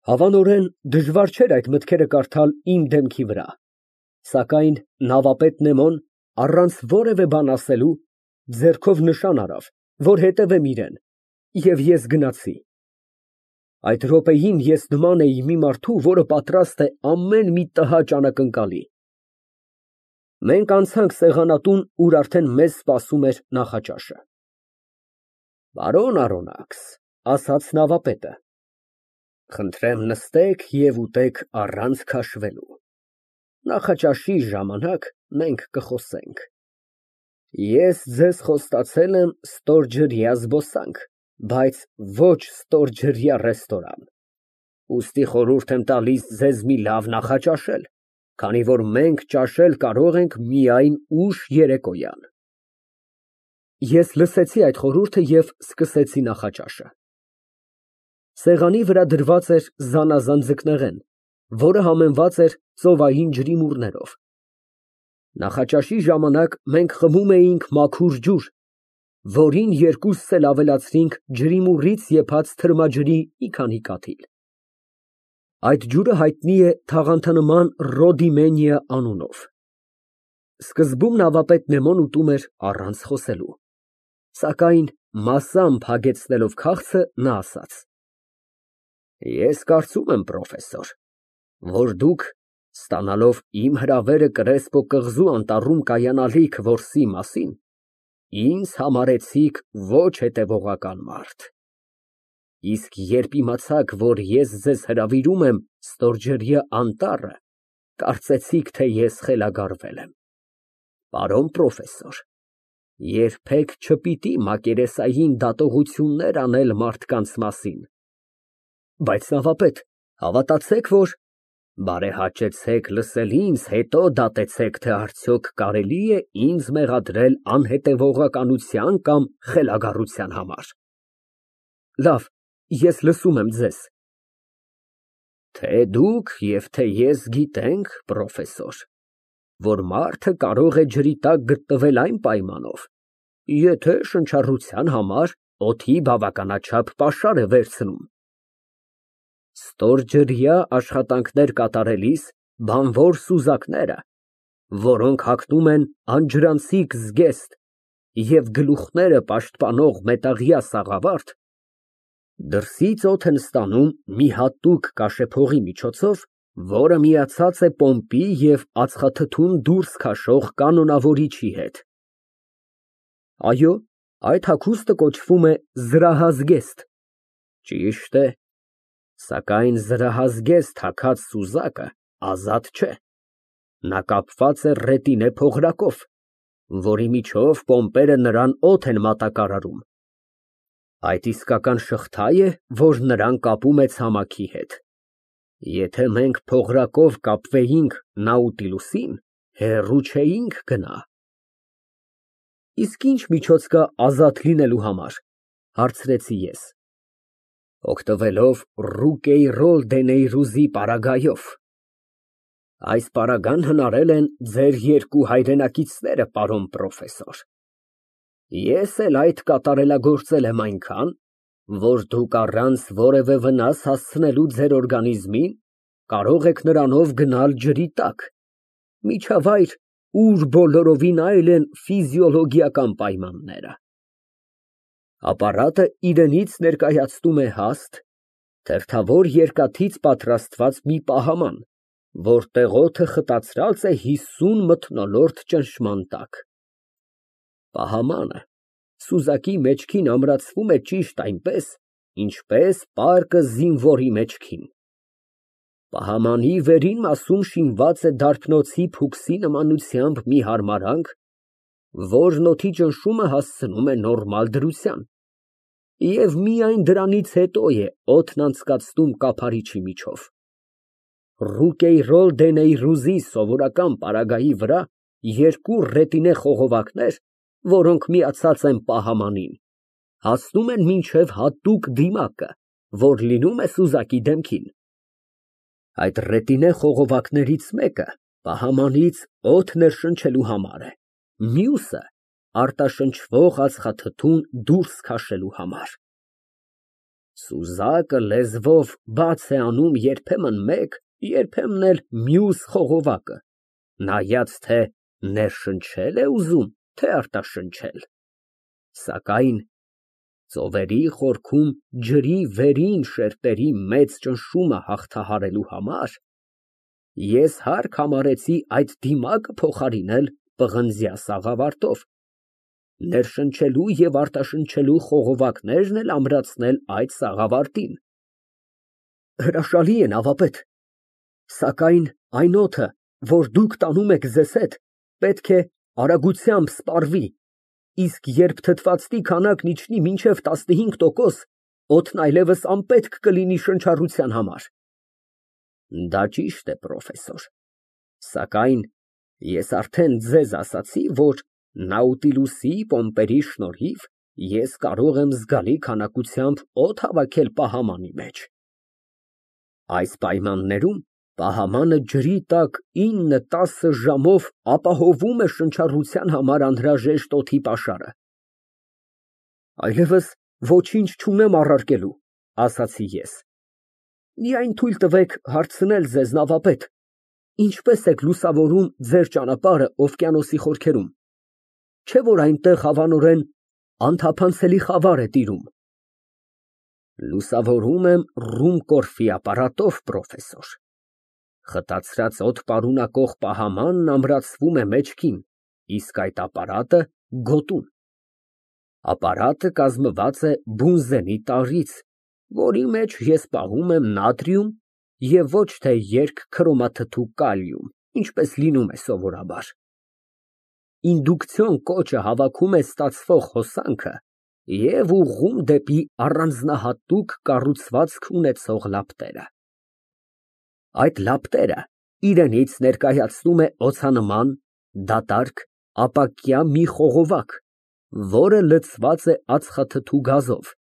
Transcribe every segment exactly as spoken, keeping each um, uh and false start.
Հավանորեն դժվար չէր այդ մտքերը կարդալ իմ դեմքի վրա, սակայն նավապետ Նեմոն, առանց որևէ բան ասելու, ձեռքով նշան արավ, որ հետևեմ իրան, և ես գնացի։ Այդ րոպեին ես նման էի մի մարդու, որը պատրաստ է ամեն մի տհաճ անակնկալի։ Մենք անցանք սեղանատուն, ուր արդեն մեզ սպասում էր նախաճաշը։ Պարոն Արօրնակս, ասաց նավապետը, խնդրեմ նստեք և ուտեք առանց քաշվելու, նախաճաշի ժամանակ մենք կխոսենք։ Ես ձեզ խոստացել եմ ստորջրյա զբոսանք, բայց ոչ ստորջրյա ռեստորան, ուստի խորհուրդ եմ տալիս ձեզ մի լավ նախաճաշել, քանի որ մենք ճաշել կարող ենք միայն ուշ երեկոյան։ Ես լսեցի այդ խորհուրդը և սկսեցի նախաճաշը։ Սեղանի վրա դրված էր զանազան ձկնեղեն, որը համեմված էր ծովային ջրիմուռներով։ Նախաճաշի ժամանակ մենք խմում էինք մաքուր ջուր, որին երկուսս էլ ավելացրինք ջրիմուռից եփած թրմաջրի մի քանի կաթիլ։ Այդ ջուրը հայտնի է թաղանթանման Ռոդիմենիա անունով։ Սկզբում նավապետ Նեմոն ուտում էր առանց խոսելու, սակայն մասամբ հագեցնելով քաղցը, նա ասաց. Ես կարծում եմ, պրոֆեսոր, որ դուք, ստանալով իմ հրավերը Կրեսպո կղզու անտառում կայանալիք որսի մասին, ինձ համարեցիք ոչ հետևողական մարդ, իսկ երբ իմացաք, որ ես ձեզ հրավիրում եմ ստորջրյա անտառը, կարծեցիք, թե ես խելագարվել եմ։ Պարոն պրոֆեսոր, երբեք չպիտի մակերեսային դատողություններ անել մարդկանց մասին։ Բայց նավապետ, հավատացեք, որ… Բարեհաճեցեք լսել ինձ, հետո դատեցեք, թե արդյոք կարելի է ինձ մեղադրել անհետևողականության կամ խելագարության համար։ Լավ, ես լսում եմ ձեզ։ Թե դուք և թե ես գիտենք, պրոֆեսոր, որ մարդը կարող է ջրի տակ գտնվել այն պայմանով, եթե շնչառության համար օդի բավականաչափ պաշար է վերցնում։ Ստորջրյա աշխատանքներ կատարելիս բանվոր սուզակները, որոնք հագնում են անջրանցիկ զգեստ և գլուխները պաշտպանող մետաղյա սաղավարտ, դրսից օդ են ստանում մի հատուկ կաշեփողի միջոցով, որը միացած է պոմպի և ածխաթթուն դուրս քաշող կանոնավորիչի հետ։ Այո, այդ հագուստը կոչվում է զրահազգեստ։ Ճիշտ է, սակայն զրահազգեստ հագած սուզակը ազատ չէ, նա կապված է ռետինե փողրակով, որի միջով պոմպերը նրան օդ են մատակարարում։ Այդ իսկական շղթա է, որ նրան կապում է ցամաքի հետ։ Եթե մենք փողրակով կապվեինք Նաուտիլուսին, հեռու չէինք գնա։ Իսկ ի՞նչ միջոց կա ազատ լինելու համար, հարցրեցի ես։ Օգտվելով Ռուկեյրոլ դե Նեյրուզի պարագայով։ Այս պարագան հնարել են ձեր երկու հայրենակիցները, պարոն պրոֆեսոր։ Ես էլ այդ կատարելագործել եմ այնքան, որ դուք առանց որևէ վնաս հասցնելու ձեր օրգանիզմին կարող եք նրանով գնալ ջրի տակ, միջավայր, ուր բոլորովին այլ են ֆիզիոլոգիական պայմանները։ Ապարատը իրենից ներկայացնում է հաստ, թերթավոր երկաթից պատրաստված մի պահաման, որտեղ օդը խտացրած է հիսուն մթնոլորտ ճնշման տակ։ Պահամանը սուզակի մեջքին ամրացվում է ճիշտ այնպես, ինչպես պարկը զինվորի մեջքին։ Պահամանի վերին մասում շինված է դարբնոցի փուքսի նմանությամբ մի հարմարանք, որն օդի ճնշումը հասցնում է նորմալ դրության, և միայն դրանից հետո է օդն անցկացնում կափարիչի միջով։ Ռուկեյրոլ դե Նեյրուզի սովորական պարագայի վրա երկու ռետինե խողովակներ, որոնք միացած են պահամանին, հասնում են մինչև հատուկ դիմակը, որ լինում է սուզակի դեմքին։ Այդ ռետինե խողովակներից մեկը պահամանից օդ ներշնչելու համար է, մյուսը արտաշնչվող ածխաթթուն դուրս քաշելու համար։ Սուզակը լեզվով բաց է անում երբեմն մեկ, երբեմն էլ մյուս խողովակը, նայած թե ներշնչել է ուզում, թե արտաշնչել, սակայն ծովերի խորքում ջրի վերին շերտերի մեծ ճնշումը հաղթահարելու համար ես հարկ համարեցի այդ դիմակը փոխարինել պղնձյա սաղավարտով, ներշնչելու և արտաշնչելու խողովակներն էլ ամրացնել այդ սաղավարտին։ Հրաշալի է, նավապետ, սակայն այն օդը, որ դուք տանում եք ձեզ հետ, պետք է արագությամբ սպառվի, իսկ երբ թթվածնի քանակն իջնի մինչև տասնհինգ տոկոս, օդն այլևս անպետք կլինի շնչառության համար։ Դա ճիշտ է, պրոֆեսոր, սակայն ես արդեն ձեզ ասացի, որ Նաուտիլուսի պոմպերի շնորհիվ ես կարող եմ զգալի քանակությամբ օդ հավաքել պահամանի մեջ։ Այս պայմաններում պահամանը ջրի տակ ինը֊տասը ժամով ապահովում է շնչառության համար անհրաժեշտ օդի պաշարը։ Այլևս ոչինչ չունեմ առարկելու, ասացի ես։ Միայն թույլ տվեք հարցնել ձեզ, նավապետ, ինչպես եք լուսավորում ձեր ճանապարհը օվկիանոսի խորքերում, չէ՞ որ այնտեղ հավանորեն անթափանցելի խավար է տիրում։ Լուսավորում եմ Ռումկորֆի ապարատով, պրոֆեսոր։ Խտացրած օդ պարունակող պահամանն ամրացվում է մեջքին, իսկ այդ ապարատը գոտուն։ Ապարատը կազմված է բունզենի տարրից, որի մեջ ես պահում եմ նատրիում և ոչ թե երկքրոմաթթու կալիում, ինչպես լինում է սովորաբար։ Ինդուկցիոն կոճը հավաքում է ստացվող հոսանքը և ուղղում դեպի առանձնահատուկ կառուցվածք ունեցող լապտերը։ Այդ լապտերը իրենից ներկայացնում է օձանման, դատարկ, ապակյա մի խողովակ, որը լցված է ածխաթթու գազով։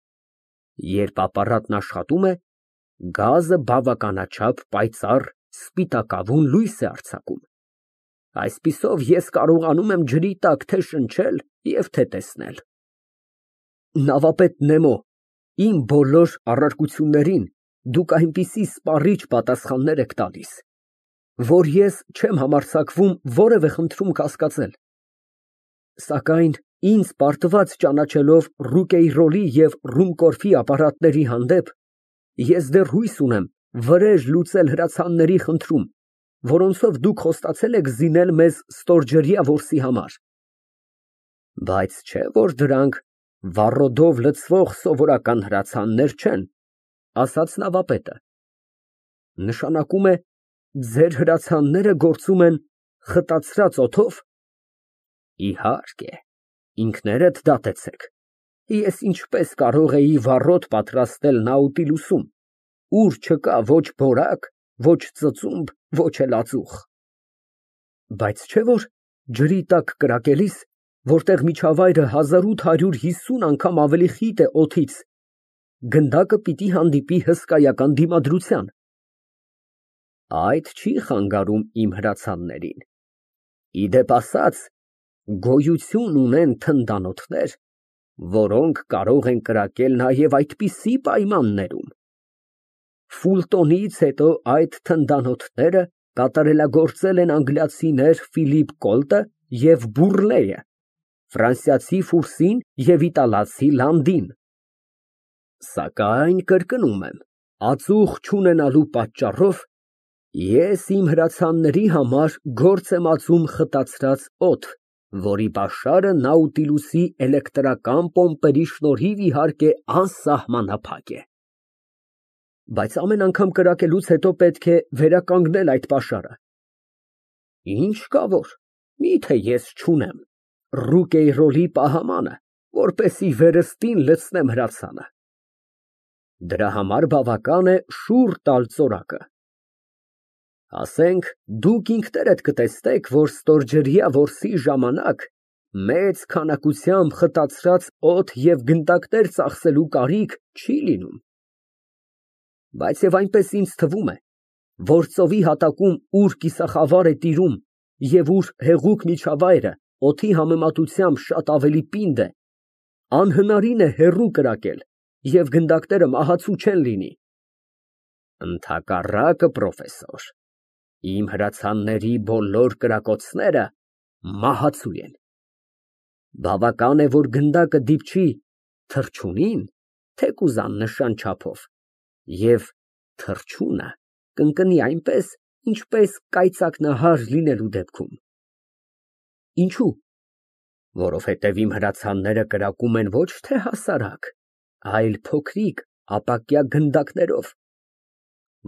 Երբ ապարատն աշխատում է, գազը բավականաչափ պայծառ սպիտակավուն լույս է արձակում։ Այսպիսով ես կարողանում եմ ջրի տակ թե շնչել և թե տեսնել։ Նավապետ Նեմո, իմ բոլոր առարկություններին դուք այնպիսի սպառիչ պատասխաններ եք տալիս, որ ես չեմ համարձակվում որևէ խնդրում կասկածել։ Սակայն ինձ պարտված ճանաչելով Ռուկեյրոլի և Ռումկորֆի ապարատների հանդեպ, ես դեռ հույս ունեմ վրեժ լուծել հրացանների խնդրում, որոնցով դուք խոստացել եք զինել մեզ ստորջրյա որսի համար։ Բայց չէ՞ որ դրանք վառոդով լցվող սովորական հրացաններ չեն, ասաց նավապետը։ Նշանակում է ձեր հրացանները գործում են խտացրած օդո՞վ։ Իհարկե, ինքներդ դատեցեք, ես ինչպես կարող էի վառոդ պատրաստել Նաուտիլուսում, ուր չկա ոչ բորակ, ոչ ծծումբ, ոչ էլ ածուխ։ Բայց չէ՞ որ ջրի տակ կրակելիս, որտեղ միջավայրը հազար ութ հարյուր հիսուն անգամ ավելի խիտ է օդից, գնդակը պիտի հանդիպի հսկայական դիմադրության։ Այդ չի խանգարում իմ հրացաններին։ Ի դեպ ասած, գոյություն ունեն թնդանոթներ, որոնք կարող են կրակել նաև այդպիսի պայմաններում։ Ֆուլտոնից հետո այդ թնդանոթները կատարելագործել են անգլիացիներ Ֆիլիպ Կոլտը և Բուռլեյը, ֆրանսիացի Ֆուրսին և իտալացի Լանդին։ Սակայն կրկնում եմ, ածուխ չունենալու պատճառով ես իմ հրացանների համար գործ եմ ածում խտացրած օդ, որի պաշարը Նաուտիլուսի էլեկտրական պոմպերի շնորհիվ, իհարկե, անսահմանափակ է։ Բայց ամեն անգամ կրակելուց հետո պետք է վերականգնել այդ պաշարը։ Ինչ կա որ, միթե ես չունեմ Ռուկեյրոլի պահամանը, որպեսզի վերստին լցնեմ հրացանը։ Դրա համար բավական է շուռ տալ ծորակը։ Ասենք, դուք ինքներդ կտեսնեք, որ ստորջրյա որսի ժամանակ մեծ քանակությամբ խտացրած օդ և գնդակներ ծախսելու կարիք չի լինում։ Բայց և այնպես ինձ թվում է, որ ծովի հատակում, ուր կիսախավար է տիրում և ուր հեղուկ միջավայրը օդի համեմատությամբ շատ ավելի պինդ է, անհնարին է հեռու կրակել, և գնդակները մահացու չեն լինի։ Ընդհակառակը, պրոֆեսոր, իմ հրացանների բոլոր կրակոցները մահացու են։ Բավական է, որ գնդակը դիպչի թռչունին, թեկուզ աննշան չափով, և թռչունը կընկնի այնպես, ինչպես կայծակնահար լինելու դեպքում։ Ինչո՞ւ։ Որովհետև իմ հրացանները կրակում են ոչ թե հասարակ, այլ փոքրիկ ապակյա գնդակներով,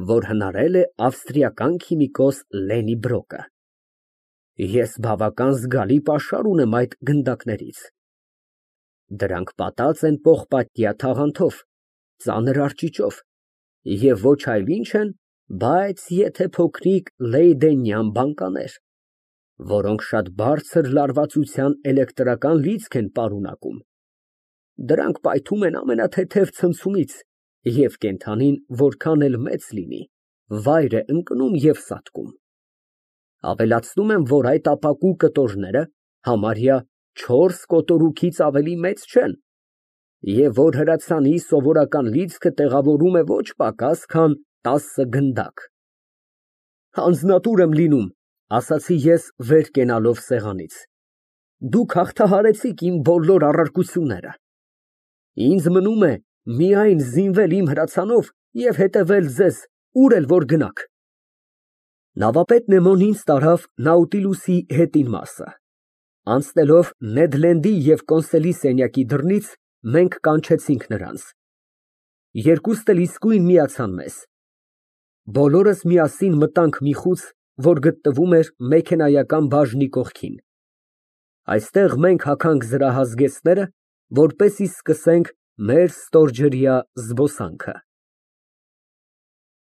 որ հնարել է ավստրիական քիմիկոս Լենի Բրոկը։ Ես բավական զգալի պաշար ունեմ այդ գնդակներից։ Դրանք պատած են պողպատյա թաղանթով, ծանր արջիճով և ոչ այլ ինչ են, բայց եթե փոքրիկ լեյդենյան բանկաներ, որոնք շատ բարձր լարվածության էլեկտրական լիցք են պարունակում։ Դրանք պայթում են ամենաթեթև ցնցումից, և կենդանին որքան էլ մեծ լինի, վայր է ընկնում և սատկում։ Ավելացնում եմ, որ այդ ապակու կտորները համարյա չորս կոտորուքից ավելի մեծ չեն, և որ հրացանի սովորական լիցքը տեղավորում է ոչ պակաս, քան տասը գնդակ։ Անձնատուր եմ լինում, ասացի ես վեր կենալով սեղանից, դուք հաղթահարեցիք իմ բոլոր առարկությունները։ Ինձ մնում է միայն զինվել իմ հրացանով և հետևել ձեզ, ուր էլ որ գնաք։ Նավապետ Նեմոն ինձ տարավ Նաուտիլուսի հետին մասը։ Անցնելով Նեդ Լենդի և Կոնսելի սենյակի դռնից, մենք կանչեցինք նրանց։ Երկուսն էլ իսկույն միացան մեզ։ Բոլորս միասին մտանք մի խուց, որ գտնվում էր մեքենայական բաժնի կողքին։ Այստեղ մենք հագանք զրահազգեստները, որպեսզի սկսենք մեր ստորջրյա զբոսանքը։